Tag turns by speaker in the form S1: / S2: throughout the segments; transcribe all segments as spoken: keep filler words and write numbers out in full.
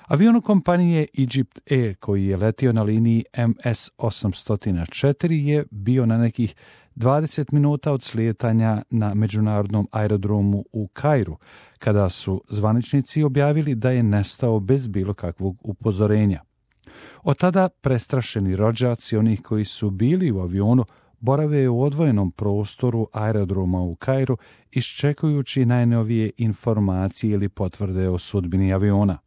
S1: Avion kompanije Egypt Air koji je letio na liniji M S osamsto četiri je bio na nekih dvadeset minuta od slijetanja na međunarodnom aerodromu u Kairu, kada su zvaničnici objavili da je nestao bez bilo kakvog upozorenja. Od tada prestrašeni rođaci onih koji su bili u avionu borave u odvojenom prostoru aerodroma u Kairu iščekujući najnovije informacije ili potvrde o sudbini aviona.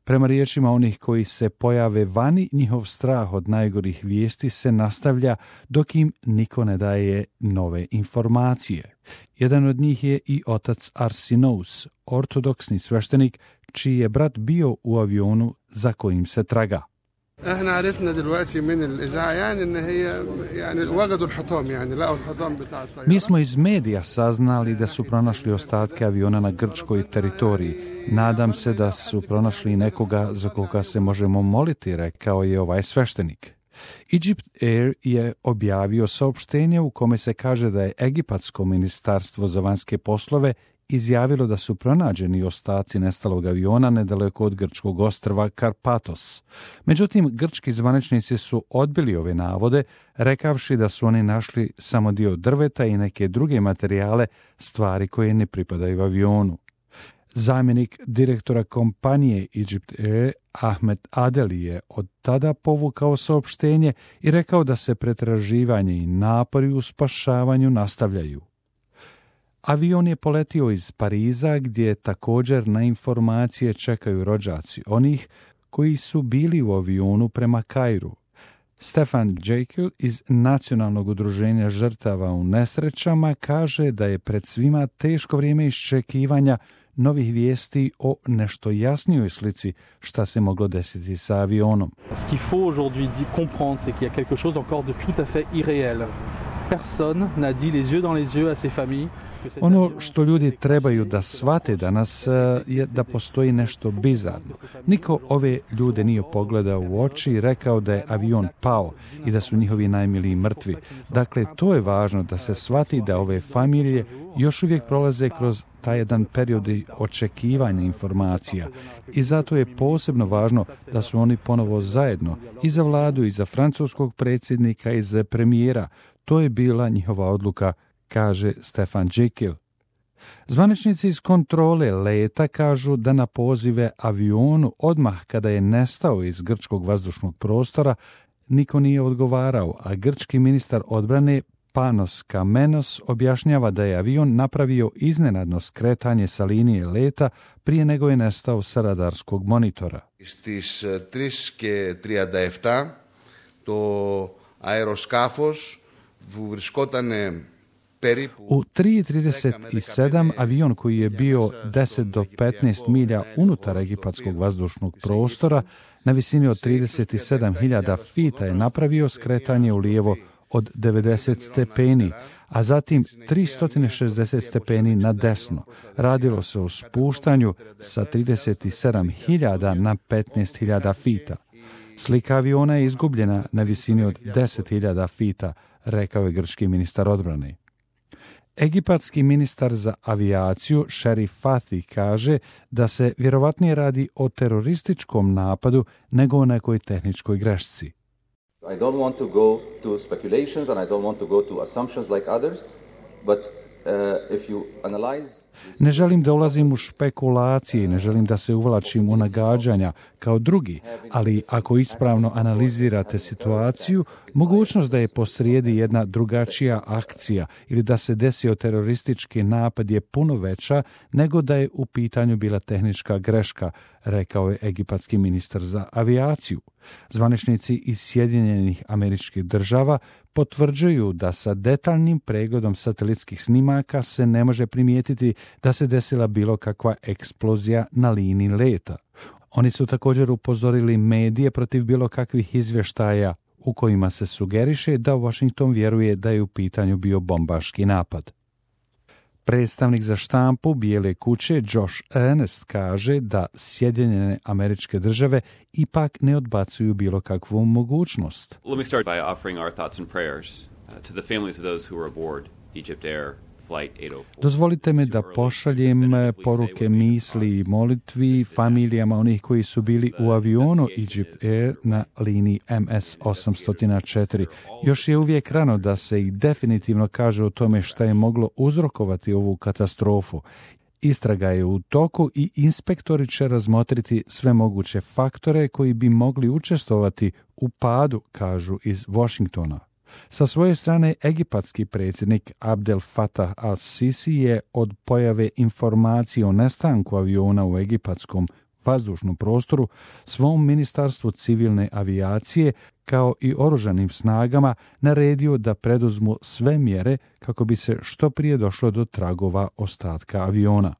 S1: Prema riječima onih koji se pojave vani, njihov strah od najgorih vijesti se nastavlja dok im niko ne daje nove informacije. Jedan od njih je i otac Arsinous, ortodoksni sveštenik, čiji je brat bio u avionu za kojim se traga.
S2: احنا عرفنا دلوقتي من الاذاعه يعني ان هي يعني وجدوا الحطام يعني لقوا الحطام بتاع الطياره.
S1: Mi smo iz medija saznali da su pronašli ostatke aviona na grčkoj teritoriji. Nadam se da su pronašli nekoga za koga se možemo moliti, rekao je ovaj sveštenik. Egypt Air je objavio saopštenje u kome se kaže da je Egipatsko ministarstvo za vanjske poslove izjavilo da su pronađeni ostaci nestalog aviona nedaleko od grčkog ostrva Karpatos. Međutim, grčki zvaničnici su odbili ove navode, rekavši da su oni našli samo dio drveta i neke druge materijale, stvari koje ne pripadaju avionu. Zamjenik direktora kompanije Egypt Air, Ahmed Adeli, je od tada povukao saopštenje i rekao da se pretraživanje i napori u spašavanju nastavljaju. Avion je poletio iz Pariza, gdje također na informacije čekaju rođaci onih koji su bili u avionu prema Kairu. Stefan Jekyll iz Nacionalnog udruženja žrtava u nesrećama kaže da je pred svima teško vrijeme iščekivanja novih vijesti o nešto jasnijoj slici šta se moglo desiti sa avionom.
S3: Ce qu'il faut aujourd'hui comprendre, c'est qu'il y a quelque chose encore de tout à fait irréel. Personne n'a dit les yeux dans les yeux à ces familles.
S1: Ono što ljudi trebaju da shvate danas je da postoji nešto bizarno. Niko ove ljude nije pogledao u oči i rekao da je avion pao i da su njihovi najmiliji mrtvi. Dakle, to je važno da se shvati da ove familije još uvijek prolaze kroz taj jedan period očekivanja informacija i zato je posebno važno da su oni ponovo zajedno i za vladu i za francuskog predsjednika i za premijera. To je bila njihova odluka, kaže Stefan Jekyll. Zvaničnici iz kontrole leta kažu da na pozive avionu odmah kada je nestao iz grčkog vazdušnog prostora niko nije odgovarao, a grčki ministar odbrane Panos Kamenos objašnjava da je avion napravio iznenadno skretanje sa linije leta prije nego je nestao sa radarskog monitora.
S2: Στις τρεις και τριάντα επτά το αεροσκάφος που βρισκόταν
S1: U tri i trideset sedam avion koji je bio deset do petnaest milja unutar egipatskog vazdušnog prostora na visini od trideset sedam hiljada fita je napravio skretanje u lijevo od devedeset stepeni, a zatim tristo šezdeset stepeni na desno. Radilo se o spuštanju sa trideset sedam hiljada na petnaest hiljada fita. Slika aviona je izgubljena na visini od deset hiljada fita, rekao je grčki ministar odbrane. Egipatski ministar za avijaciju Sherif Fathi kaže da se vjerovatnije radi o terorističkom napadu nego o nekoj tehničkoj grešci.
S4: I don't want to go to speculations and I don't want to go to assumptions like others, but uh, if you analyze...
S1: Ne želim da ulazim u špekulacije, ne želim da se uvlačim u nagađanja kao drugi, ali ako ispravno analizirate situaciju, mogućnost da je posrijedi jedna drugačija akcija ili da se desio teroristički napad je puno veća nego da je u pitanju bila tehnička greška, rekao je egipatski ministar za avijaciju. Zvaničnici iz Sjedinjenih Američkih Država potvrđuju da sa detaljnim pregledom satelitskih snimaka se ne može primijetiti da se desila bilo kakva eksplozija na liniji leta. Oni su također upozorili medije protiv bilo kakvih izvještaja u kojima se sugeriše da Washington vjeruje da je u pitanju bio bombaški napad. Predstavnik za štampu Bijele kuće Josh Earnest kaže da Sjedinjene Američke Države ipak ne odbacuju bilo kakvu mogućnost.
S5: Let me start by offering our thoughts and prayers to the families of those who were aboard Egypt Air
S1: Dozvolite mi da pošaljem poruke misli i molitvi familijama onih koji su bili u avionu Egypt Air na liniji M S osam stotine četiri. Još je uvijek rano da se i definitivno kaže o tome šta je moglo uzrokovati ovu katastrofu. Istraga je u toku i inspektori će razmotriti sve moguće faktore koji bi mogli učestvovati u padu, kažu iz Washingtona. Sa svoje strane, egipatski predsjednik Abdel Fattah al-Sisi je od pojave informacije o nestanku aviona u egipatskom vazdušnom prostoru svom ministarstvu civilne avijacije kao i oružanim snagama naredio da preduzmu sve mjere kako bi se što prije došlo do tragova ostatka aviona.